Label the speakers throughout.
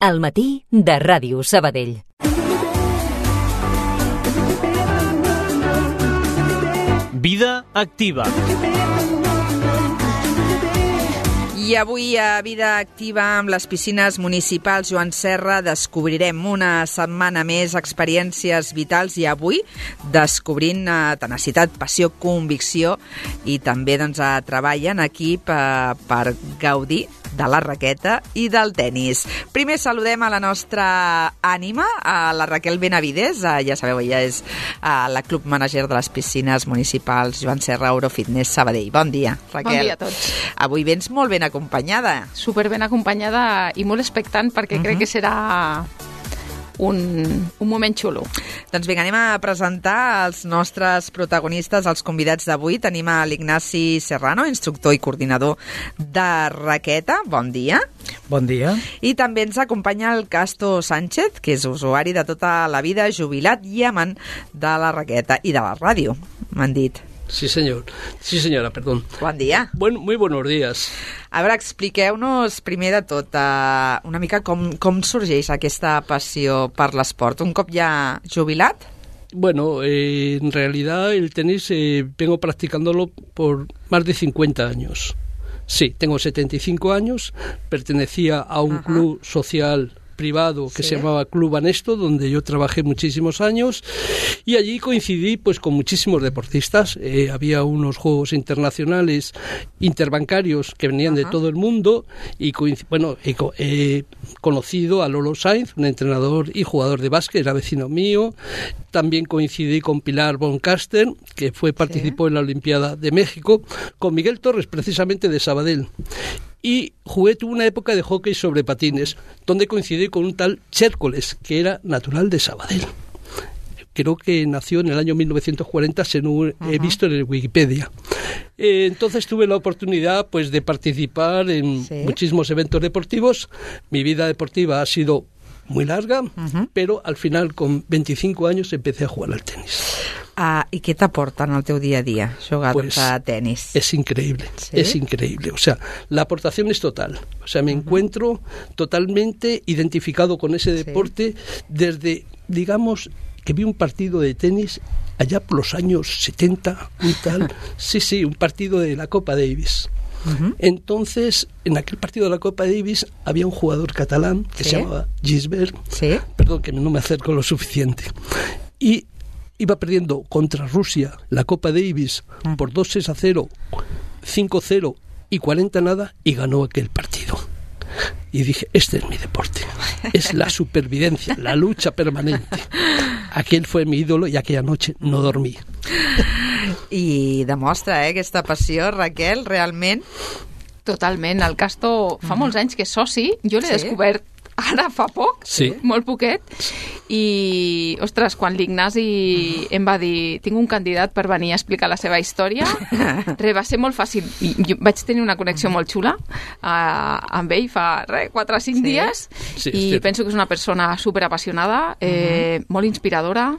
Speaker 1: Al matí de Ràdio Sabadell.
Speaker 2: Vida activa.
Speaker 3: I avui a Vida Activa amb les piscines municipals Joan Serra descobrirem una setmana més experiències vitals i avui descobrint tenacitat, passió, convicció i també treball en equip per gaudir de la raqueta i del tenis. Primer saludem a la nostra ànima, a la Raquel Benavides, ja sabeu, ella és la club manager de les piscines municipals Joan Serra Eurofitness Sabadell. Bon dia, Raquel.
Speaker 4: Bon dia a tots.
Speaker 3: Avui vens molt ben acompanyada.
Speaker 4: Super ben acompanyada i molt expectant perquè crec que serà un moment xulo.
Speaker 3: Doncs vinga, anem a presentar els nostres protagonistes, els convidats d'avui. Tenim a l'Ignasi Serrano, instructor i coordinador de raqueta. Bon dia.
Speaker 5: Bon dia.
Speaker 3: I també ens acompanya el Casto Sánchez, que és usuari de tota la vida, jubilat i amant de la raqueta i de la ràdio, m'han dit.
Speaker 6: Sí, señor. Sí, señora, perdón.
Speaker 3: Bon dia.
Speaker 6: Muy buenos días.
Speaker 3: A veure, expliqueu-nos primer de tot una mica com sorgeix aquesta passió per l'esport. Un cop ja jubilat?
Speaker 6: Bueno, en realidad el tenis vengo practicándolo por más de 50 años. Sí, tengo 75 años, pertenecía a un club social privado que se llamaba Club Anesto, donde yo trabajé muchísimos años y allí coincidí pues con muchísimos deportistas. Había unos juegos internacionales interbancarios que venían de todo el mundo y he conocido a Lolo Sainz, un entrenador y jugador de básquet, era vecino mío. También coincidí con Pilar Boncaster, que participó en la Olimpiada de México, con Miguel Torres, precisamente de Sabadell. Y tuve una época de hockey sobre patines, donde coincidí con un tal Chércoles, que era natural de Sabadell. Creo que nació en el año 1940, según he visto en el Wikipedia. Entonces tuve la oportunidad pues de participar en muchísimos eventos deportivos. Mi vida deportiva ha sido muy larga, pero al final, con 25 años, empecé a jugar al tenis.
Speaker 3: ¿Y qué t'aporta en el teu día a día jugar a tenis?
Speaker 6: Es increíble, es increíble. O sea, la aportación es total. O sea, me encuentro totalmente identificado con ese deporte desde, digamos, que vi un partido de tenis allá por los años 70, un tal, un partido de la Copa Davis. Entonces, en aquel partido de la Copa Davis había un jugador catalán que se llamaba Gisbert, perdón que no me acerco lo suficiente, y iba perdiendo contra Rusia la Copa Davis por 2-6-0, 5-0 y 40-0 y ganó aquel partido. Y dije, este es mi deporte, es la supervivencia, la lucha permanente. Aquel fue mi ídolo y aquella noche no dormí.
Speaker 3: I demostra, aquesta passió, Raquel, realment.
Speaker 4: Totalment. El Casto fa molts anys que és soci. Jo l'he descobert ara fa poc, molt poquet, i, ostres, quan l'Ignasi em va dir tinc un candidat per venir a explicar la seva història, va ser molt fàcil. Jo vaig tenir una connexió molt xula amb ell fa 4 o 5 dies i penso que és una persona superapassionada, molt inspiradora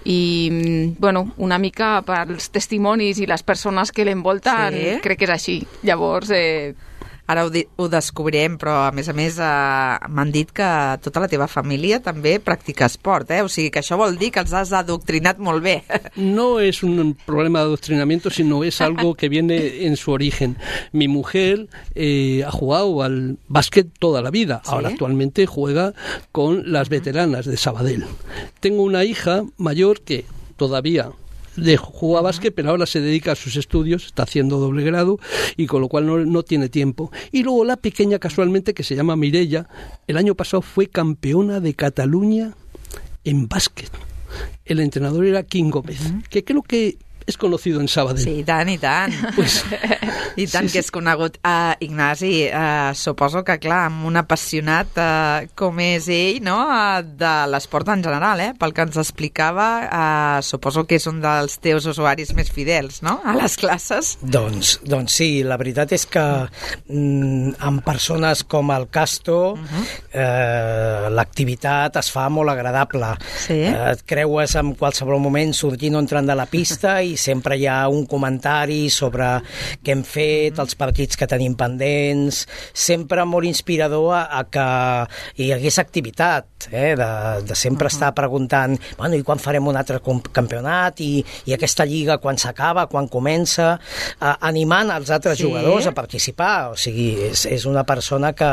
Speaker 4: i, bueno, una mica pels testimonis i les persones que l'envolten, crec que és així. Llavors,
Speaker 3: ara ho descobrirem, però a més m'han dit que tota la teva família també practica esport, O sigui que això vol dir que els has adoctrinat molt bé.
Speaker 6: No es un problema de adoctrinamiento, sino es algo que viene en su origen. Mi mujer ha jugado al básquet toda la vida. Ahora actualmente juega con las veteranas de Sabadell. Tengo una hija mayor que todavía juega básquet, pero ahora se dedica a sus estudios, está haciendo doble grado y con lo cual no tiene tiempo. Y luego la pequeña, casualmente, que se llama Mireia, el año pasado fue campeona de Cataluña en básquet. El entrenador era Quim Gómez, que creo que és conocido en Sabadell.
Speaker 3: Sí, i tant.
Speaker 6: Pues,
Speaker 3: I tant que és conegut. Ignasi, suposo que, clar, amb un apassionat com és ell, no?, de l'esport en general, pel que ens explicava, suposo que és un dels teus usuaris més fidels, no?, a les classes.
Speaker 5: Doncs sí, la veritat és que amb persones com el Casto, l'activitat es fa molt agradable.
Speaker 3: Sí.
Speaker 5: Et creues en qualsevol moment sortint o entrant de la pista i sempre hi ha un comentari sobre què hem fet, els partits que tenim pendents, sempre molt inspirador a que hi hagués activitat, de sempre estar preguntant, bueno, i quan farem un altre campionat, i aquesta lliga quan s'acaba, quan comença, animant els altres jugadors a participar. O sigui, és una persona que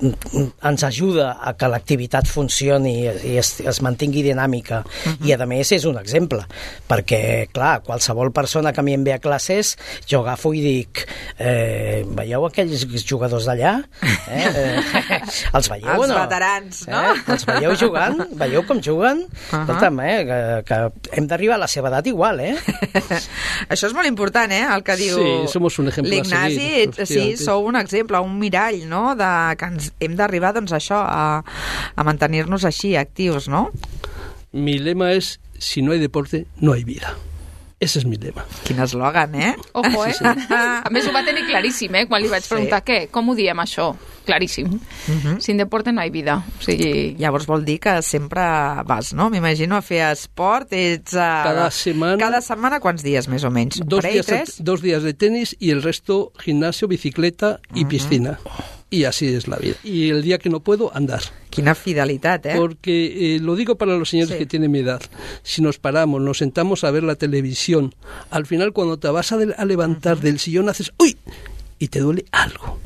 Speaker 5: ens ajuda a que l'activitat funcioni i es mantingui dinàmica. I a més és un exemple, perquè clar, qualsevol persona que a mi em ve a classes, jo agafo i dic, veieu aquells jugadors d'allà? Els veieu o no?
Speaker 3: Els veterans, no?
Speaker 5: Els veieu jugant? Veieu com juguen? Escolta'm, que hem d'arribar a la seva edat igual,
Speaker 3: Això és molt important, el que diu
Speaker 6: somos un ejemplo
Speaker 3: l'Ignasi. Sí, sou un exemple, un mirall, no?, de que hem d'arribar, doncs, això, a mantenir-nos així, actius, no?
Speaker 6: Mi lema es, si no hay deporte, no hay vida. Ese es mi lema.
Speaker 3: Quin eslògan,
Speaker 4: Ojo, Sí. A més, ho va tenir claríssim, quan li vaig preguntar com ho diem, això? Claríssim. Sin deporte no hay vida. O sigui...
Speaker 3: Llavors vol dir que sempre vas, no? M'imagino a fer esport. Ets
Speaker 6: cada
Speaker 3: setmana quants dies, més o menys?
Speaker 6: 2 días de tenis y el resto gimnasio, bicicleta y piscina. Y así es la vida. Y el día que no puedo, andar.
Speaker 3: Quina fidelitat,
Speaker 6: Porque lo digo para los señores que tienen mi edad. Si nos paramos, nos sentamos a ver la televisión, al final cuando te vas a levantar del sillón haces ¡uy! Y te duele algo.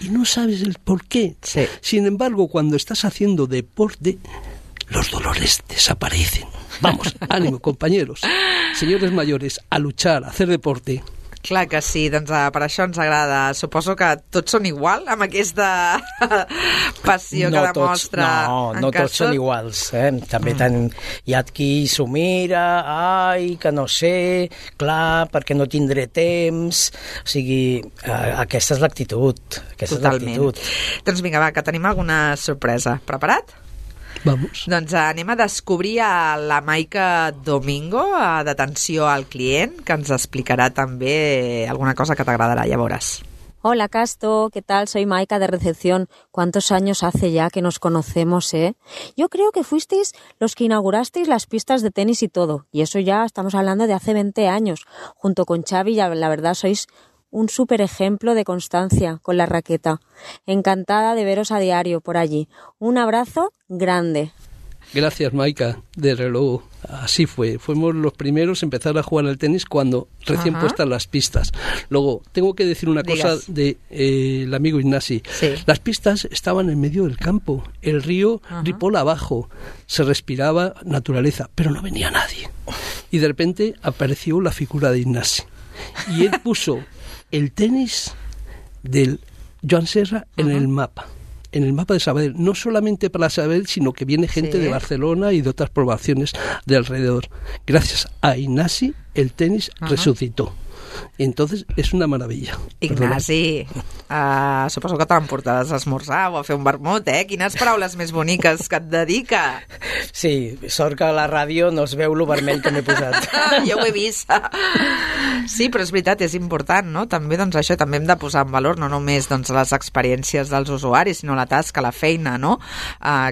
Speaker 6: Y no sabes el por qué.
Speaker 3: Sí.
Speaker 6: Sin embargo, cuando estás haciendo deporte, los dolores desaparecen. Vamos, ánimo, compañeros. Señores mayores, a luchar, a hacer deporte.
Speaker 3: Clar que sí, doncs per això ens agrada. Suposo que tots són igual amb aquesta passió que demostra.
Speaker 5: No tots són iguals. També hi ha qui s'ho mira, que no sé, clar, perquè no tindré temps. O sigui, aquesta és l'actitud.
Speaker 3: Totalment. Doncs vinga, va, que tenim alguna sorpresa. Preparat?
Speaker 6: Vamos.
Speaker 3: Doncs anem a descobrir a la Maika Domingo, d'atenció al client, que ens explicarà també alguna cosa que t'agradarà, ja veuràs.
Speaker 7: Hola, Casto, ¿qué tal? Soy Maika de recepción. ¿Cuántos años hace ya que nos conocemos, Yo creo que fuisteis los que inaugurasteis las pistas de tenis y todo, y eso ya estamos hablando de hace 20 años. Junto con Xavi, la verdad, sois un súper ejemplo de constancia con la raqueta. Encantada de veros a diario por allí. Un abrazo grande.
Speaker 6: Gracias, Maika, de reloj. Así fue. Fuimos los primeros a empezar a jugar al tenis cuando recién puestas las pistas. Luego, tengo que decir una cosa de el amigo Ignasi.
Speaker 3: Sí.
Speaker 6: Las pistas estaban en medio del campo. El río Ripoll abajo. Se respiraba naturaleza, pero no venía nadie. Y de repente apareció la figura de Ignasi. Y él puso el tenis del Joan Serra en el mapa de Sabadell, no solamente para Sabadell, sino que viene gente de Barcelona y de otras poblaciones de alrededor. Gracias a Ignasi, el tenis resucitó. Entonces, és una meravella.
Speaker 3: Ignasi, suposo que t'emportaràs a esmorzar o a fer un vermut, Quines paraules més boniques que et dedica.
Speaker 5: Sí, sort que a la ràdio no es veu lo vermell que m'he posat.
Speaker 3: Jo ho he vist. Sí, però és veritat, és important, no? També, doncs, això també hem de posar en valor, no només doncs, les experiències dels usuaris, sinó la tasca, la feina, no?,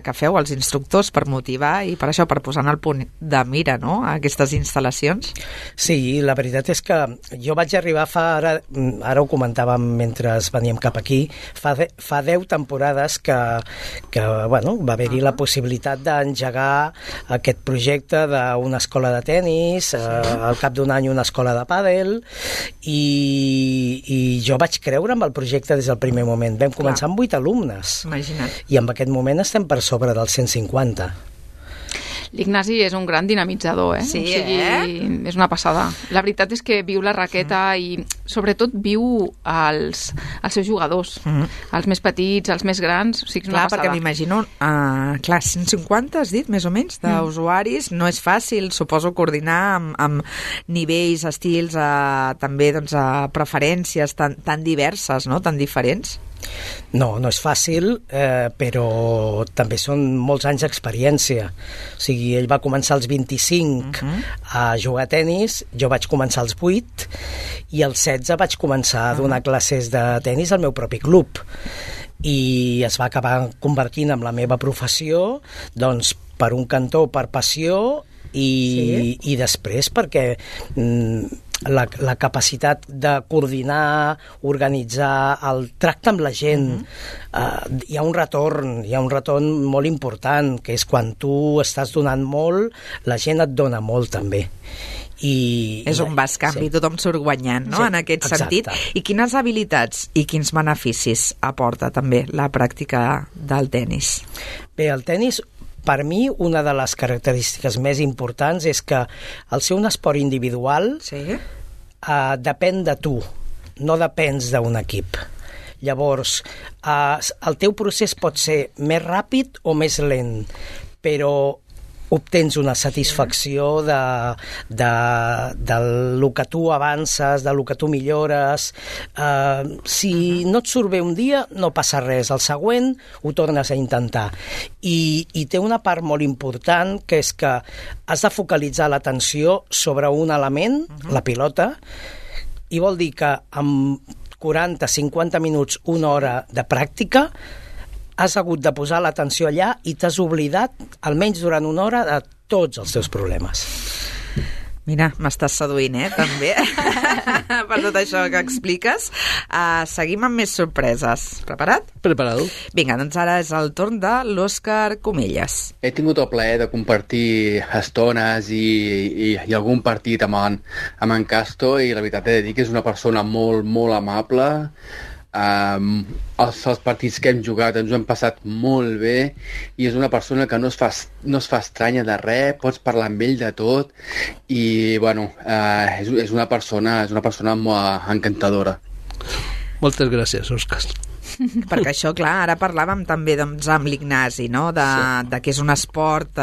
Speaker 3: que feu els instructors per motivar i per això, per posar en el punt de mira, no?, a aquestes instal·lacions.
Speaker 5: Sí, la veritat és que jo vaig arribar ara ho comentàvem mentre veníem cap aquí, fa 10 temporades que bueno, va haver-hi la possibilitat d'engegar aquest projecte d'una escola de tenis, al cap d'un any una escola de pàdel, i jo vaig creure amb el projecte des del primer moment. Vam començar amb 8 alumnes.
Speaker 3: Imagina't.
Speaker 5: I en aquest moment estem per sobre dels 150.
Speaker 4: L'Ignasi és un gran dinamitzador,
Speaker 3: Sí,
Speaker 4: o sigui, és una passada. La veritat és que viu la raqueta i sobretot viu els seus jugadors, els més petits, els més grans, o sigui, és una passada.
Speaker 3: Perquè m'imagino, 150 has dit, més o menys, d'usuaris, no és fàcil, suposo, coordinar amb nivells, estils, també doncs, preferències tan diverses, no?, tan diferents.
Speaker 5: No és fàcil, però també són molts anys d'experiència. O sigui, ell va començar als 25 a jugar a tenis, jo vaig començar als 8 i als 16 vaig començar a donar classes de tenis al meu propi club. i es va acabar convertint en la meva professió, doncs per un cantó, per passió i després perquè la capacitat de coordinar, organitzar el tracte amb la gent, hi ha un retorn molt important, que és quan tu estàs donant molt, la gent et dona molt també.
Speaker 3: És un bascanvi, tothom surt guanyant, no? En aquest sentit. I quines habilitats i quins beneficis aporta també la pràctica del tenis?
Speaker 5: Bé, el tenis, per mi, una de les característiques més importants és que al ser un esport individual depèn de tu, no depens d'un equip. Llavors, el teu procés pot ser més ràpid o més lent, però obtens una satisfacció del que tu avances, del que tu millores. Si no et surt bé un dia, no passa res. El següent ho tornes a intentar. I té una part molt important, que és que has de focalitzar l'atenció sobre un element, la pilota, i vol dir que amb 40, 50 minuts, una hora de pràctica, has hagut de posar l'atenció allà i t'has oblidat, almenys durant una hora, de tots els teus problemes.
Speaker 3: Mira, m'estàs seduint, també, per tot això que expliques. Seguim amb més sorpreses. Preparat?
Speaker 6: Preparado.
Speaker 3: Vinga, doncs ara és el torn de l'Òscar Comelles.
Speaker 8: He tingut el plaer de compartir estones i algun partit amb en Casto, i la veritat he de dir que és una persona molt, molt amable. Els partits que hem jugat ens ho hem passat molt bé, i és una persona que no es fa estranya de res, pots parlar amb ell de tot, i bueno, és una persona molt encantadora.
Speaker 6: Moltes gràcies, Òscar.
Speaker 3: Perquè això, clar, ara parlàvem també doncs, amb l'Ignasi, no? de que és un esport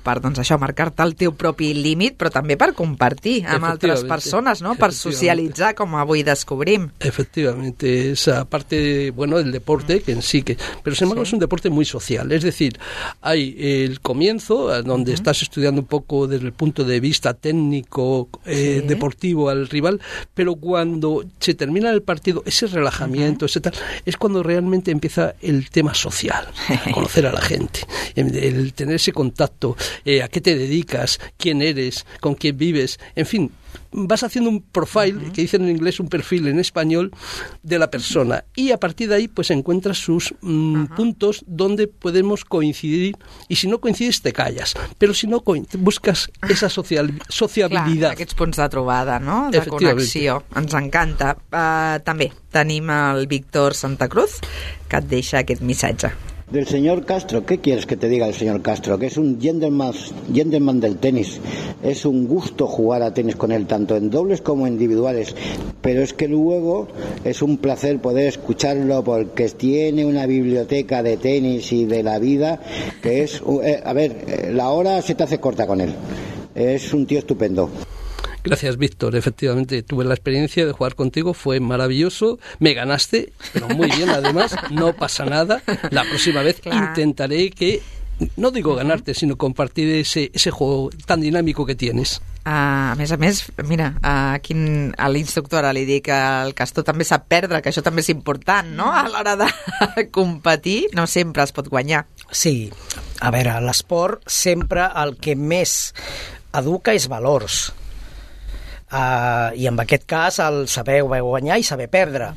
Speaker 3: per doncs, això, marcar-te el teu propi límit, però també per compartir amb altres persones, no? Per socialitzar, com avui descobrim.
Speaker 6: Efectivamente, esa parte, bueno, del deporte, que en sí que... Pero sin embargo es un deporte muy social, es decir, hay el comienzo, donde estás estudiando un poco desde el punto de vista técnico, deportivo al rival, pero cuando se termina el partido, ese relajamiento, ese tal, es cuando realmente empieza el tema social, conocer a la gente, el tener ese contacto, a qué te dedicas, quién eres, con quién vives, en fin, vas haciendo un profile, que dicen en inglés un perfil en español, de la persona, y a partir de ahí pues encuentras sus puntos donde podemos coincidir, y si no coincides te callas, però si no buscas esa sociabilitat.
Speaker 3: Clar, aquests punts de trobada, no? De connexió, ens encanta. També tenim el Víctor Santa Cruz, que et deixa aquest missatge.
Speaker 9: Del señor Castro, ¿qué quieres que te diga el señor Castro? Que es un gentleman del tenis. Es un gusto jugar a tenis con él, tanto en dobles como en individuales. Pero es que luego es un placer poder escucharlo, porque tiene una biblioteca de tenis y de la vida que es... la hora se te hace corta con él. Es un tío estupendo.
Speaker 6: Gracias, Víctor. Efectivamente, tuve la experiencia de jugar contigo, fue maravilloso. Me ganaste, pero muy bien, además, no pasa nada. La próxima vez intentaré que, no digo ganarte, sino compartir ese juego tan dinámico que tienes.
Speaker 3: A més, mira, aquí a l'instructora li dic que el Castor també sap perdre, que això també és important, no?, a l'hora de competir. No sempre es pot guanyar.
Speaker 5: Sí, a veure, l'esport sempre el que més educa és valors. I en aquest cas el saber guanyar i saber perdre,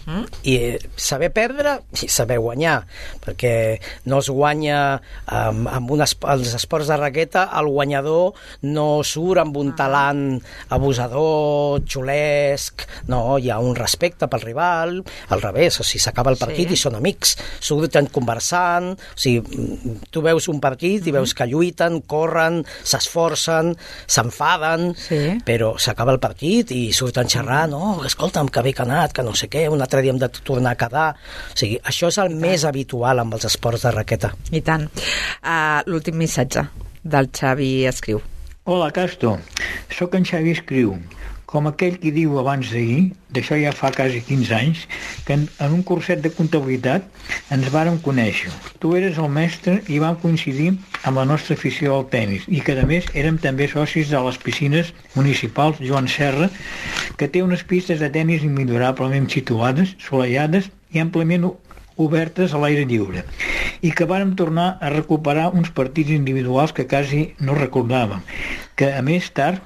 Speaker 5: i saber perdre i saber guanyar, perquè no es guanya amb els esports de raqueta, el guanyador no surt amb un talant abusador, xulesc, no, hi ha un respecte pel rival, al revés, o sigui, s'acaba el partit i són amics, surten conversant, o sigui, tu veus un partit i veus que lluiten, corren, s'esforcen, s'enfaden, però s'acaba el partit i surten xerrant, escolta'm, que bé que ha anat, que no sé què, un altre dia hem de tornar a quedar. O sigui, això és el més habitual amb els esports de raqueta.
Speaker 3: I tant. L'últim missatge del Xavi Escriu.
Speaker 10: Hola, Casto. Soc en Xavi Escriu. Com aquell qui diu abans d'ahir, d'això ja fa quasi 15 anys, que en un curset de comptabilitat ens vàrem conèixer. Tu eres el mestre i vam coincidir amb la nostra afició al tenis, i que a més érem també socis de les piscines municipals Joan Serra, que té unes pistes de tenis immillorablement situades, solellades i amplament obertes a l'aire lliure, i que vàrem tornar a recuperar uns partits individuals que quasi no recordàvem, que a més tard,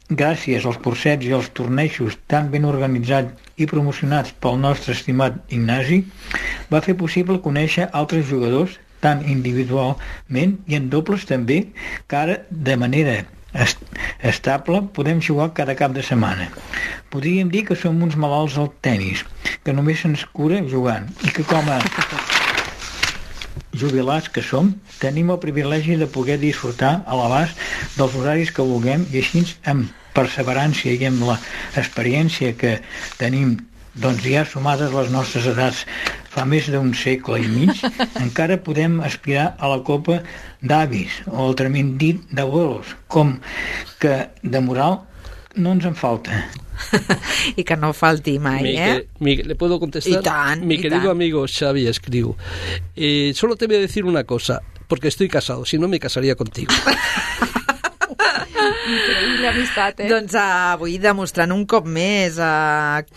Speaker 10: gràcies als cursets i als tornejos tan ben organitzats i promocionats pel nostre estimat Ignasi, va fer possible conèixer altres jugadors tant individualment i en dobles també, que ara de manera estable podem jugar cada cap de setmana. Podríem dir que som uns malalts al tenis, que només se'ns cura jugant i que com a jubilats que som, tenim el privilegi de poder disfrutar a l'abast dels horaris que vulguem i així amb perseverància i amb l'experiència que tenim doncs ja sumades les nostres edats fa més d'un segle i mig, encara podem aspirar a la copa d'avis o altrament dit d'abuelos, com que de moral no ens en falta.
Speaker 3: I que no falti mai,
Speaker 6: ¿le puedo contestar?
Speaker 3: Y tan,
Speaker 6: Mi querido amigo Xavi Escriu, solo te voy a decir una cosa, porque estoy casado, si no me casaría contigo.
Speaker 4: Increïble amistat,
Speaker 3: Doncs avui demostrant un cop més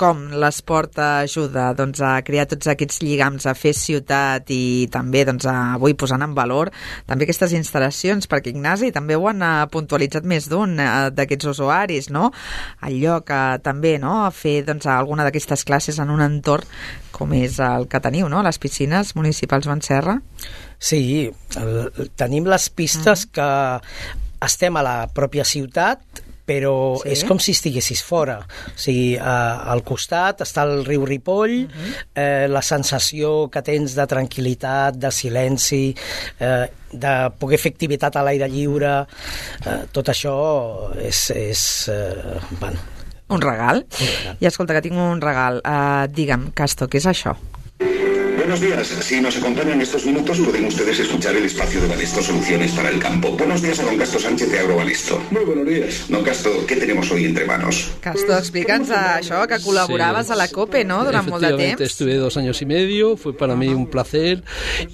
Speaker 3: com l'esport ajuda a crear tots aquests lligams, a fer ciutat i també avui posant en valor també aquestes instal·lacions, perquè Ignasi també ho han puntualitzat més d'un d'aquests usuaris, no? El lloc també, no? A fer alguna d'aquestes classes en un entorn com és el que teniu, no? Les piscines municipals Joan Serra.
Speaker 5: Sí, tenim les pistes que estem a la pròpia ciutat, però és com si estiguessis fora. O sigui, al costat està el riu Ripoll, la sensació que tens de tranquil·litat, de silenci, de poder fer activitat a l'aire lliure, tot això és bueno,
Speaker 3: un regal. I escolta, que tinc un regal. Digue'm, Casto, què és això?
Speaker 11: Buenos días. Si nos acompañan en estos minutos, pueden ustedes escuchar el espacio de Balesto Soluciones para el Campo. Buenos días a don Casto Sánchez de Agrobalesto. Muy buenos días. Don Casto, ¿qué tenemos hoy entre manos?
Speaker 3: Casto, explica'ns això, que col·laboraves a la COPE, ¿no?, durant molt de temps.
Speaker 6: Efectivamente, estuve 2 años y medio, fue para mí un placer,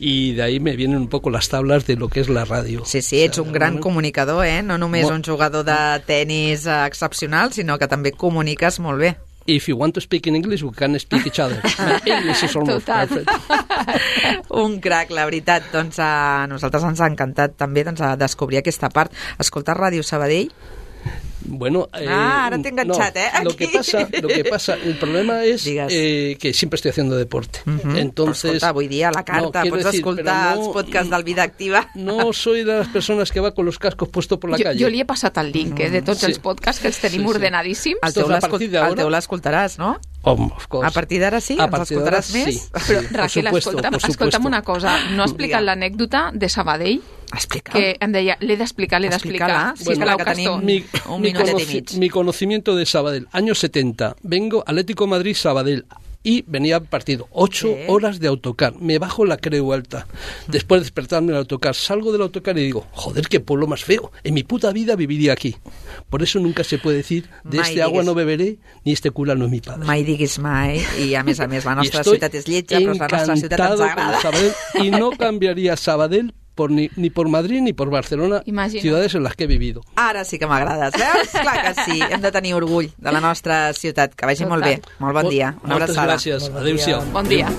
Speaker 6: y de ahí me vienen un poco las tablas de lo que es la radio.
Speaker 3: Sí, ets un gran comunicador, no només un jugador de tenis excepcional, sinó que també comuniques molt bé.
Speaker 6: If you want to speak in English, we can speak each other. English is almost perfect.
Speaker 3: Un crac, la veritat. Doncs a nosaltres ens ha encantat també descobrir aquesta part. Escoltar Ràdio Sabadell.
Speaker 6: Bueno,
Speaker 3: ahora te he enganchado,
Speaker 6: no, lo que pasa, el problema es que siempre estoy haciendo deporte. Entonces,
Speaker 3: escolta, avui dia a la carta pots escoltar els podcasts del Vida Activa.
Speaker 6: No soy de las persones que va con los cascos puestos por la calle.
Speaker 4: Jo li he passat el link de tots els podcasts que els tenim ordenadíssims.
Speaker 3: El teu l'escoltaràs, no?
Speaker 6: Of course.
Speaker 3: A partir d'ara sí? Ens escoltaràs més?
Speaker 6: Sí.
Speaker 4: Però, Raquel, escolta'm una cosa. No ha explicat l'anècdota de Sabadell? Que em deia, l'he d'explicar.
Speaker 3: Bueno, que tenim un minutet i mig.
Speaker 6: Mi conocimiento de Sabadell, años 70. Vengo, Atlético Madrid, Sabadell. Y venía partido, 8 horas de autocar. Me bajo la Creu Alta. Después de despertarme en el autocar, salgo del autocar y digo, joder, qué pueblo más feo. En mi puta vida viviría aquí. Por eso nunca se puede decir, de este agua no beberé, ni este cura no es mi padre.
Speaker 3: Mai diguis mai. I a més, la nostra ciutat és lletja, però la nostra ciutat ens agrada.
Speaker 6: Sabadell, y no cambiaría Sabadell ni por Madrid ni por Barcelona, ciudades en las que he vivido.
Speaker 3: Ara sí que m'agrades, veus? Clar que sí, hem de tenir orgull de la nostra ciutat. Que vagi molt bé, molt bon dia. Una abraçada.
Speaker 6: Moltes gràcies, adéu-siau.
Speaker 4: Bon dia.